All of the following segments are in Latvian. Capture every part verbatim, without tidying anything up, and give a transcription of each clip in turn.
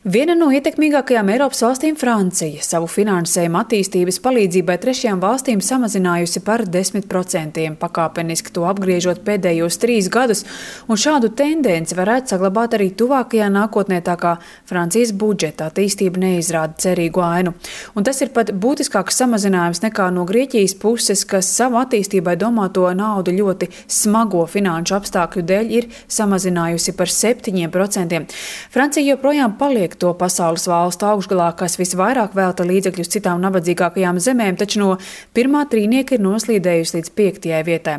Viena no ietekmīgākajām Eiropas valstīm, Francija, savu finansējumu attīstības palīdzībai trešajām valstīm samazinājusi par desmit procentiem, pakāpeniski to apgriežot pēdējos trīs gadus, un šādu tendenci varētu saglabāt arī tuvākajā nākotnē, tā kā Francijas budžeta attīstība neizrāda cerīgu ainu. Un tas ir pat būtiskāks samazinājums nekā no Grieķijas puses, kas savu attīstībai domāto naudu ļoti smago finanšu apstākļu dēļ ir samazinājusi par septiņiem procentiem. Francija joprojām paliek to pasaules valstu augšgalā, kas visvairāk velta līdzekļus citām nabadzīgākajām zemēm, taču no pirmā trīnieka ir noslīdējusi līdz piektajai vietai.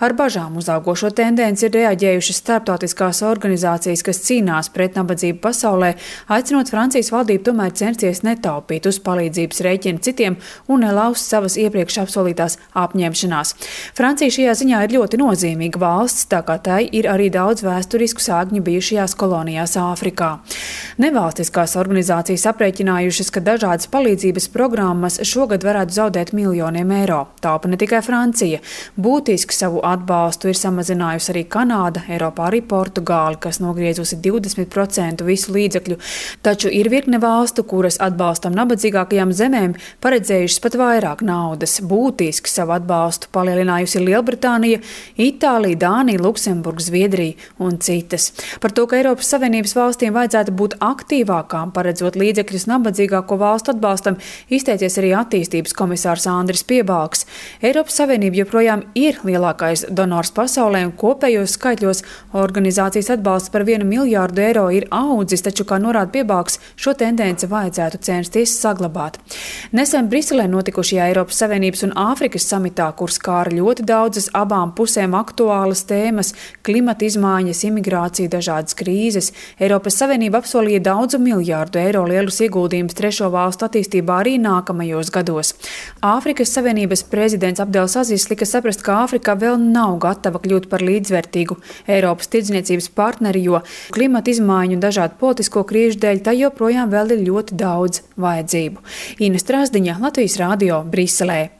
Ar bažām uz augošo tendenci ir reaģējušas starptautiskās organizācijas, kas cīnās pret nabadzību pasaulē, aicinot Francijas valdību tomēr censties netaupīt uz palīdzības rēķina citiem un nelauzt savas iepriekš apsolītās apņemšanās. Francija šajā ziņā ir ļoti nozīmīga valsts, tā kā tai ir arī daudz vēsturisku sākņu bijušajās kolonijās Āfrikā. Nevalstiskās organizācijas aprēķinājušas, ka dažādas palīdzības programmas šogad varētu zaudēt miljoniem eiro. Taupa ne tikai Francija. Būtiski savu atbalstu ir samazinājusi arī Kanāda, Eiropā arī Portugāli, kas nogriezusi divdesmit procentus visu līdzekļu. Taču ir virkne valstu, kuras atbalstam nabadzīgākajām zemēm paredzējušas pat vairāk naudas. Būtiski savu atbalstu palielinājusi Lielbritānija, Itālija, Dānija, Luksemburga, Zviedrija un citas. Par to, ka Eiropas Savienības valstīm vajadzētu būt aktīvākām, paredzot līdzekļus nabadzīgāko valstu atbalstam, izteicies arī attīstības komisārs Andris Piebalgs. Eiropas Savienība joprojām ir lielākais donors pasaulē un kopējos skaitļos organizācijas atbalsts par vienu miljārdu eiro ir audzis, taču, kā norāda Piebalgs, šo tendenci vajadzētu censties saglabāt. Nesen Briselē notikušajā Eiropas Savienības un Āfrikas samitā, kur skāra ļoti daudzas abām pusēm aktuālas tēmas – klimata izmaiņas, imigrācija, dažādas krīzes, Eiropas Savienība apsolīja daudzu miljārdu eiro lielus ieguldījumus trešo valstu attīstībā arī nākamajos gados. Āfrikas Savienības prezidents Abdels Azis lika saprast, ka Āfrika vēl nav gatava kļūt par līdzvērtīgu Eiropas tirdzniecības partneri, jo klimata izmaiņu un dažādu politisko krīžu dēļ tai joprojām vēl ir ļoti daudz vajadzību. Ina Strasdiņa, Latvijas Rādio, Briselē.